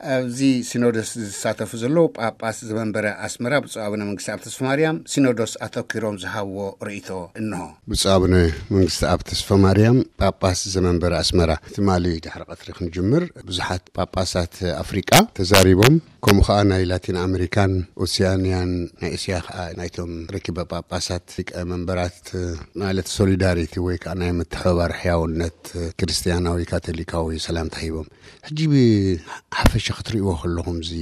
ኣብዚ ሲኖዶስ ዝሳተፉ ዘለዉ ጳጳስ ዘመንበረ ኣስመራ ብፁዕ ኣቡነ መንግስቲ ኣብ ተስፋ ማርያም፣ ሲኖዶስ ኣተኪሮም ዝሃብዎ ርእይቶ እንሆ። ብፁዕ ኣቡነ መንግስቲ ኣብ ተስፋ ማርያም፣ ጳጳስ ዘመንበረ ኣስመራ፣ ትማሊ ድሕሪ ቀትሪ ክንጅምር ብዙሓት ጳጳሳት ኣፍሪቃ ተዛሪቦም፣ ከምኡ ከዓ ናይ ላቲን ኣሜሪካን ኦሲያንያን ናይ እስያ ከዓ ናይቶም ርክበ ጳጳሳት ሊቀ መንበራት ማለት ሶሊዳሪቲ ወይ ከዓ ናይ ምትሕብባር ሕያውነት ክርስትያናዊ ካቶሊካዊ ሰላምታ ሂቦም። ሕጂ ብሓፈሻ ክትርእይዎ ከለኹም፣ እዚ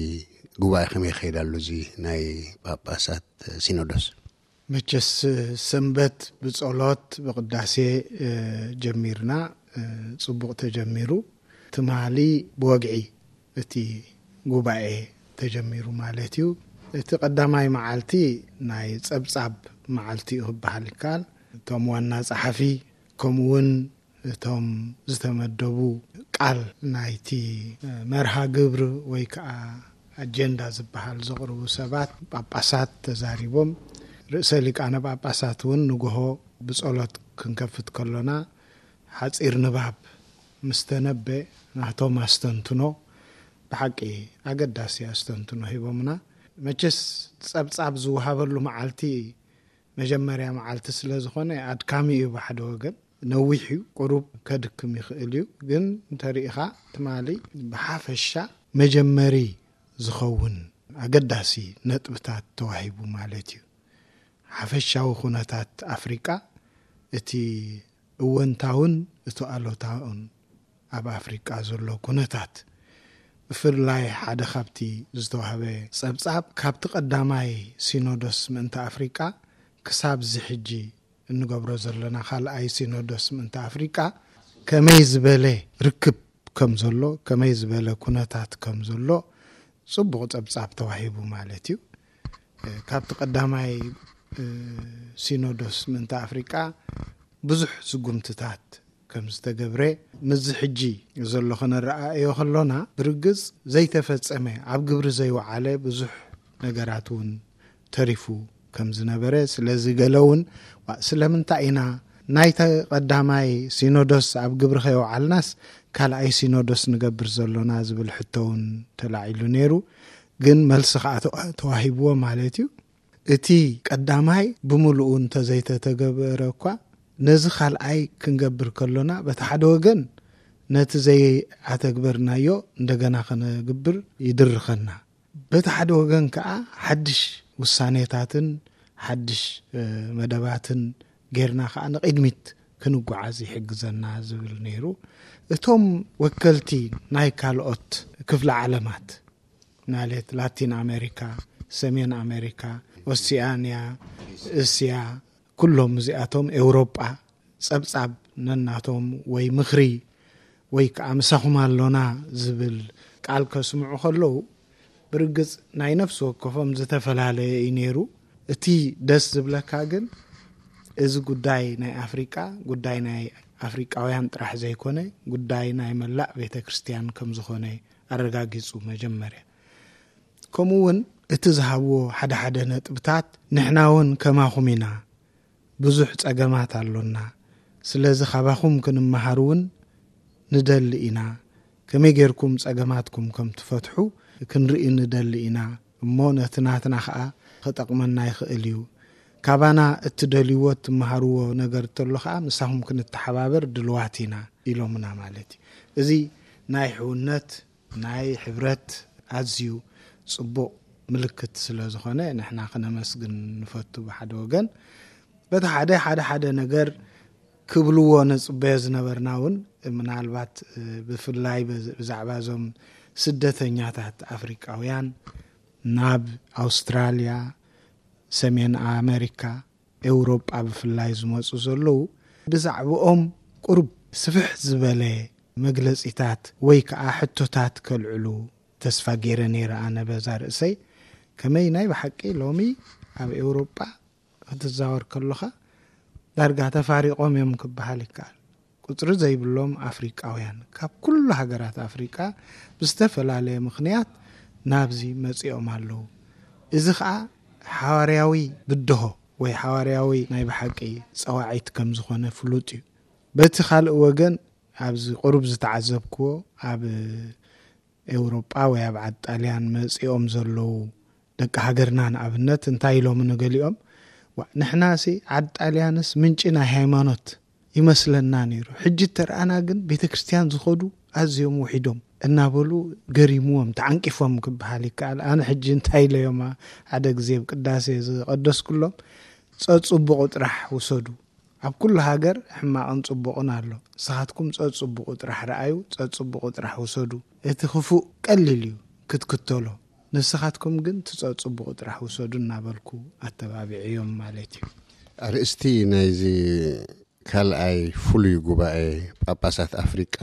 ጉባኤ ከመይ ይኸይድ ኣሎ፣ እዚ ናይ ጳጳሳት ሲኖዶስ? መቸስ ሰንበት ብጸሎት ብቅዳሴ ጀሚርና፣ ጽቡቕ ተጀሚሩ። ትማሊ ብወግዒ እቲ ጉባኤ ተጀሚሩ ማለት እዩ። እቲ ቀዳማይ መዓልቲ ናይ ጸብጻብ መዓልቲ እዩ ክበሃል ይከኣል። እቶም ዋና ጸሓፊ ከምኡ እውን እቶም ዝተመደቡ ቃል ናይቲ መርሃ ግብሪ ወይ ከዓ ኣጀንዳ ዝበሃል ዘቕርቡ ሰባት ጳጳሳት ተዛሪቦም። ርእሰ ሊቃነ ጳጳሳት እውን ንግሆ ብጸሎት ክንከፍት ከሎና ሓጺር ንባብ ምስ ተነበ ናቶም ኣስተንትኖ ብሓቂ ኣገዳሲ ኣስተንትኖ ሂቦምና። መቸስ ጸብጻብ ዝወሃበሉ መዓልቲ መጀመርያ መዓልቲ ስለ ዝኾነ ኣድካሚ እዩ ብሓደ ወገን። ነዊሕ እዩ፣ ቁሩብ ከድክም ይኽእል እዩ። ግን እንተሪኢኻ ትማሊ ብሓፈሻ መጀመሪ ዝኸውን ኣገዳሲ ነጥብታት ተዋሂቡ ማለት እዩ። ሓፈሻዊ ኩነታት ኣፍሪቃ፣ እቲ እወንታውን እቲ ኣሎታውን ኣብ ኣፍሪቃ ዘሎ ኩነታት፣ ብፍላይ ሓደ ካብቲ ዝተዋህበ ጸብጻብ፣ ካብቲ ቀዳማይ ሲኖዶስ ምእንቲ ኣፍሪቃ ክሳብ እዚ ሕጂ እንገብሮ ዘለና ካልኣይ ሲኖዶስ ምእንቲ ኣፍሪቃ ከመይ ዝበለ ርክብ ከም ዘሎ፣ ከመይ ዝበለ ኩነታት ከም ዘሎ ጽቡቕ ጸብጻብ ተዋሂቡ ማለት እዩ። እ፣ ካብቲ ቀዳማይ፣ እ፣ ሲኖዶስ ምእንቲ ኣፍሪቃ ብዙሕ ስጉምትታት ከም ዝተገብረ፣ ምስዚ ሕጂ ዘሎ ከነረኣእዮ ከሎና፣ ብርግጽ ዘይተፈጸመ፣ ኣብ ግብሪ ዘይወዓለ ብዙሕ ነገራት እውን ተሪፉ ከም ዝነበረ፣ ስለዚ ገለ እውን፣ "ዋ፣ ስለምንታይ ኢና ናይቲ ቀዳማይ ሲኖዶስ ኣብ ግብሪ ከየውዓልናስ ካልኣይ ሲኖዶስ ንገብር ዘሎና?" ዝብል ሕቶ እውን ተላዒሉ ነይሩ። ግን መልሲ ከዓ ተዋ-፣ ተዋሂብዎ ማለት እዩ። እቲ ቀዳማይ ብምሉኡ እንተዘይተተገበረ እኳ፣ ነዚ ካልኣይ ክንገብር ከሎና፣ በቲ ሓደ ወገን ነቲ ዘይኣተግበርናዮ እንደገና ከነግብር ይድርኸና። በቲ ሓደ ወገን ከኣ ሓድሽ ውሳኔታትን ሓድሽ፣ እ፣ መደባትን ጌርና ከኣ ንቕድሚት ክንጓዓዝ ይሕግዘና ዝብል ነይሩ። እቶም ወከልቲ ናይ ካልኦት ክፍለ ዓለማት፣ ማለት ላቲን ኣሜሪካ፣ ሰሜን ኣሜሪካ፣ ኦሲያንያ፣ እስያ፣ ኩሎም እዚኣቶም ኤውሮጳ ጸብጻብ ነናቶም ወይ ምኽሪ ወይ ከኣ ምሳኹም ኣሎና ዝብል ቃል ከስምዑ ከለዉ፣ ብርግጽ ናይ ነፍሲ ወከፎም ዝተፈላለየ እዩ ነይሩ። እቲ ደስ ዝብለካ ግን፣ እዚ ጉዳይ ናይ ኣፍሪቃ፣ ጉዳይ ናይ ኣፍሪቃውያን ጥራሕ ዘይኮነ፣ ጉዳይ ናይ መላእ ቤተ ክርስቲያን ከም ዝኾነ ኣረጋጊጹ መጀመርያ። ከምኡ እውን እቲ ዝሃብዎ ሓደ ሓደ ነጥብታት፣ ንሕና እውን ከማኹም ኢና፣ ብዙሕ ጸገማት ኣሎና፣ ስለዚ ካባኹም ክንመሃር እውን ንደሊ ኢና፣ ከመይ ጌርኩም ጸገማትኩም ከም ትፈትሑ ክንርኢ ንደሊ ኢና፣ እሞ ነቲ ናትና ኸኣ ክጠቕመና ይኽእል እዩ። ካባና እትደልይዎ እትመሃርዎ ነገር እንተሎ ኸኣ ምሳኹም ክንተሓባበር ድልዋት ኢና ኢሎምና ማለት እዩ። እዚ ናይ ሕውነት ናይ ሕብረት ኣዝዩ ጽቡቕ ምልክት ስለ ዝኾነ ንሕና ክነመስግን ንፈቱ ብሓደ ወገን። በቲ ሓደ፣ ሓደ፣ ሓደ ነገር ክብልዎ ንጽበዮ ዝነበርና እውን ምናልባት፣ እ፣ ብፍላይ ብዝ-፣ ብዛዕባ እዞም ስደተኛታት ኣፍሪቃውያን ናብ ኣውስትራልያ፣ ሰሜን ኣመሪካ፣ ኤውሮጳ ብፍላይ ዝመጹ ዘለዉ ብዛዕባኦም ቁሩብ ስፍሕ ዝበለ መግለጺታት ወይ ከኣ ሕቶታት ከልዕሉ ተስፋ ገይረ ነይረ ኣነ በዛ ርእሰይ። ከመይ ናይ ብሓቂ ሎሚ ኣብ ኤውሮጳ ክትዛወር ከሎኻ ዳርጋ ተፋሪቖም እዮም ክበሃል ይከኣል። ቁጽሪ ዘይብሎም ኣፍሪቃውያን ካብ ኩሉ ሃገራት ኣፍሪቃ ብዝተፈላለየ ምኽንያት ናብዚ መጺኦም ኣለዉ። እዚ ኸኣ ሓዋርያዊ ብድሆ ወይ ሓዋርያዊ ናይ ብሓቂ ጸዋዒት ከም ዝኾነ ፍሉጥ እዩ። በቲ ካልእ ወገን ኣብዚ ቁሩብ ዝተዓዘብክዎ ኣብ ኤውሮጳ ወይ ኣብ ዓዲ ጣልያን መጺኦም ዘለዉ ደቂ ሃገርና ንኣብነት እንታይ ኢሎም ንገሊኦም፣ "ዋ፣ ንሕናሲ ዓዲ ጣልያንስ ምንጪ ናይ ሃይማኖት ይመስለና ነይሩ። ሕጂ ተረኣና ግን ቤተ ክርስቲያን ዝኸዱ ኣዝዮም ውሒዶም" እናበሉ ገሪምዎም፣ ተዓንቂፎም ክበሃል ይከኣል። ኣነ ሕጂ እንታይ ኢለዮም፣ ሓደ ግዜ ኣብ ቅዳሴ ዝቐደስኩሎም፣ "ጸጽቡቑ ጥራሕ ውሰዱ። ኣብ ኩሉ ሃገር ሕማቕን ጽቡቕን ኣሎ። ንስኻትኩም ጸጽቡቑ ጥራሕ ረኣዩ፣ ጸጽቡቑ ጥራሕ ውሰዱ። እቲ ክፉእ ቀሊል እዩ ክትክተሎ። ንስኻትኩም ግን ትጸጽቡቑ ጥራሕ ውሰዱ" እናበልኩ ኣተባቢዐዮም ማለት እዩ። ኣርእስቲ ናይዚ ካልኣይ ፍሉይ ጉባኤ ጳጳሳት ኣፍሪቃ፣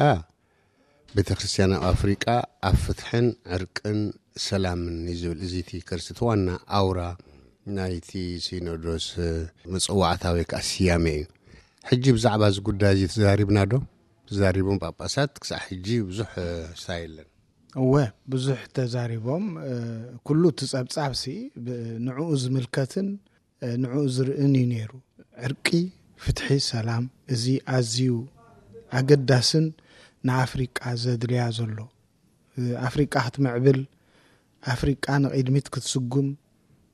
ቤተ ክርስቲያን ኣብ ኣፍሪቃ ኣብ ፍትሕን ዕርቅን ሰላምን እዩ ዝብል። እዚ እቲ ከርሲ፣ እቲ ዋና ኣውራ ናይቲ ሲኖዶስ፣ እ፣ መጸዋዕታ ወይ ከዓ ስያሜ እዩ። ሕጂ ብዛዕባ እዚ ጉዳይ እዚ ተዛሪብና ዶ? ተዛሪቦም ጳጳሳት ክሳዕ ሕጂ ብዙሕ፣ እ፣ ስታ የለን። እወ፣ ብዙሕ ተዛሪቦም። እ፣ ኩሉ እቲ ጸብጻብሲ ብ-፣ ንዕኡ ዝምልከትን፣ እ፣ ንዕኡ ዝርእን እዩ ነይሩ። ዕርቂ፣ ፍትሒ፣ ሰላም፣ እዚ ኣዝዩ ኣገዳስን ንኣፍሪቃ ዘድልያ ዘሎ፣ እ፣ ኣፍሪቃ ክትምዕብል፣ ኣፍሪቃ ንቕድሚት ክትስጉም፣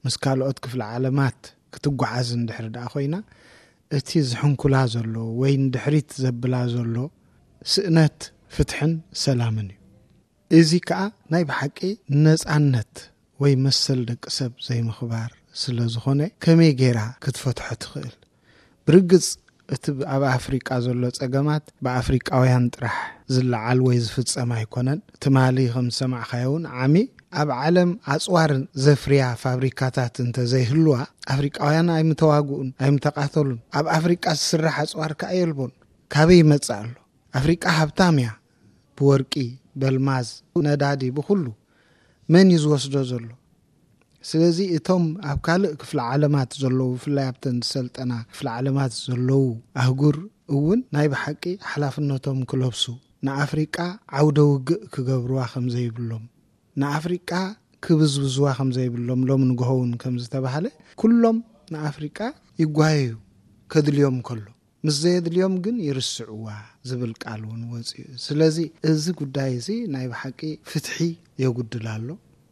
ምስ ካልኦት ክፍለ ዓለማት ክትጓዓዝ እንድሕር ደኣ ኮይና፣ እቲ ዝሕንኩላ ዘሎ ወይ ንድሕሪት ዘብላ ዘሎ ስእነት ፍትሕን ሰላምን እዩ። እዚ ከኣ ናይ ብሓቂ ነጻነት ወይ መሰል ደቂ ሰብ ዘይምኽባር ስለ ዝኾነ፣ ከመይ ጌራ ክትፈትሖ ትኽእል? ብርግጽ፣ እቲ ብ-፣ ኣብ ኣፍሪቃ ዘሎ ጸገማት ብኣፍሪቃውያን ጥራሕ ዝለዓል ወይ ዝፍጸም ኣይኮነን። ትማሊ ከም ዝሰማዕካዮ እውን፣ ዓሚ ኣብ ዓለም ኣጽዋር ዘፍርያ ፋብሪካታት እንተ ዘይህልዋ፣ ኣፍሪቃውያን ኣይምተዋግኡን፣ ኣይምተቃተሉን። ኣብ ኣፍሪቃ ዝስራሕ ኣጽዋር ከኣ የልቦን። ካበይ ይመጽእ ኣሎ? ኣፍሪቃ ሃብታም እያ። ብወርቂ፣ በልማዝ፣ ነዳዲ፣ ብኹሉ። መን እዩ ዝወስዶ ዘሎ? ስለዚ እቶም ኣብ ካልእ ክፍለ ዓለማት ዘለዉ፣ ብፍላይ ኣብተን ዝሰልጠና ክፍለ ዓለማት ዘለዉ ኣህጉር እውን ናይ ብሓቂ ሓላፍነቶም ክለብሱ፣ ንኣፍሪቃ ዓውደ ውግእ ክገብርዋ ከም ዘይብሎም፣ ንኣፍሪቃ ክብዝብዝዋ ከም ዘይብሎም፣ ሎም ንግሆ እውን ከም ዝተባህለ፣ ኩሎም ንኣፍሪቃ ይጓየዩ ከድልዮም ከሎ፣ ምስ ዘየድልዮም ግን ይርስዕዋ ዝብል ቃል እውን ወፂኡ። ስለዚ እዚ ጉዳይ እዚ ናይ ብሓቂ ፍትሒ የጉድል ኣሎ።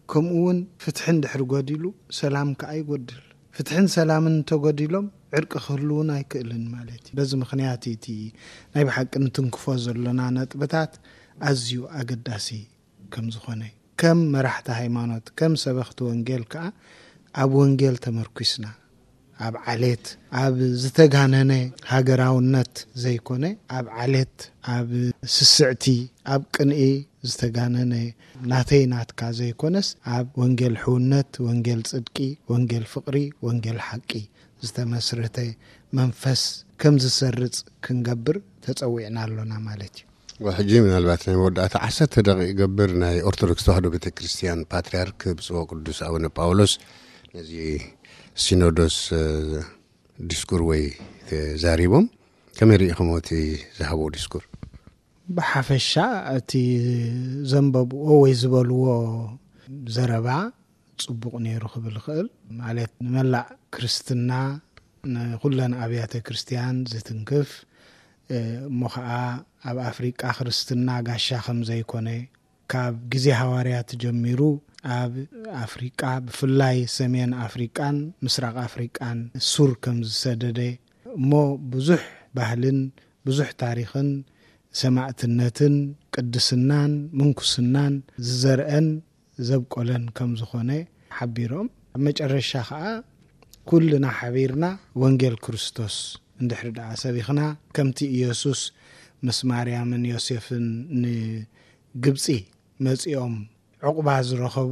ከምኡ እውን ፍትሒ እንድሕር ጎዲሉ፣ ሰላም ከኣ ይጎድል። ፍትሕን ሰላምን እንተጎዲሎም፣ ዕርቂ ክህልውን ኣይክእልን ማለት እዩ። በዚ ምኽንያት እዩ እቲ ናይ ብሓቂ እንትንክፎ ዘለና ነጥብታት ኣዝዩ ኣገዳሲ ከም ዝኾነ፣ ከም መራሕቲ ሃይማኖት፣ ከም ሰበኽቲ ወንጌል ከኣ ኣብ ወንጌል ተመርኲስና፣ ኣብ ዓሌት፣ ኣብ ዝተጋነነ ሃገራውነት ዘይኮነ፣ ኣብ ዓሌት፣ ኣብ ስስዕቲ፣ ኣብ ቅንኢ ዝተጋነነ፣ ናተይ ናትካ ዘይኮነስ፣ ኣብ ወንጌል ሕውነት፣ ወንጌል ጽድቂ፣ ወንጌል ፍቕሪ፣ ወንጌል ሓቂ ዝተመስረተ መንፈስ ከም ዝሰርጽ ክንገብር ተጸዊዕና ኣሎና ማለት እዩ። ሕጂ ምናልባት ናይ መወዳእታ ዓሰርተ ደቂቕ ይገብር፣ ናይ ኦርቶዶክስ ተዋህዶ ቤተ ክርስቲያን ፓትርያርክ ብፁዕ ቅዱስ ኣቡነ ጳውሎስ ነዚ ሲኖዶስ፣ እ፣ ዲስኩር ወይ ተዛሪቦም፣ ከመይ ርኢኹሞ እቲ ዝሃብዎ ዲስኩር? ብሓፈሻ እቲ ዘንበብዎ ወይ ዝበልዎ ዘረባ ጽቡቕ ነይሩ ክብል ይኽእል። ማለት ንመላእ ክርስትና፣ ንኹለን ኣብያተ ክርስቲያን ዝትንክፍ፣ እ፣ እሞ ኸኣ ኣብ ኣፍሪቃ ክርስትና ጋሻ ከም ዘይኮነ፣ ካብ ግዜ ሃዋርያት ጀሚሩ ኣብ ኣፍሪቃ፣ ብፍላይ ሰሜን ኣፍሪቃን ምስራቕ ኣፍሪቃን ሱር ከም ዝሰደደ፣ እሞ ብዙሕ ባህልን ብዙሕ ታሪኽን ሰማእትነትን ቅድስናን ምንኩስናን ዝዘርአን ዘብቆለን ከም ዝኾነ ሓቢሮም፣ ኣብ መጨረሻ ኸኣ ኩልና ሓቢርና ወንጌል ክርስቶስ እንድሕር ደኣ ሰቢኽና፣ ከምቲ ኢየሱስ ምስ ማርያምን ዮሴፍን ንግብጺ መጺኦም ዕቑባ ዝረኸቡ፣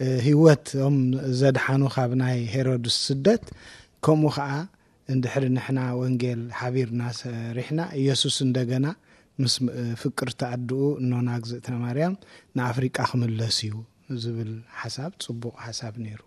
እ፣ ህይወቶም ዘድሓኑ ካብ ናይ ሄሮድስ ስደት፣ ከምኡ ኸኣ እንድሕሪ ንሕና ወንጌል ሓቢርና ሰሪሕና፣ ኢየሱስ እንደገና ምስ፣ እ፣ ፍቅርቲ ኣድኡ እኖና እግዝእትነ ማርያም ንኣፍሪቃ ክምለስ እዩ ዝብል ሓሳብ ጽቡቕ ሓሳብ ነይሩ።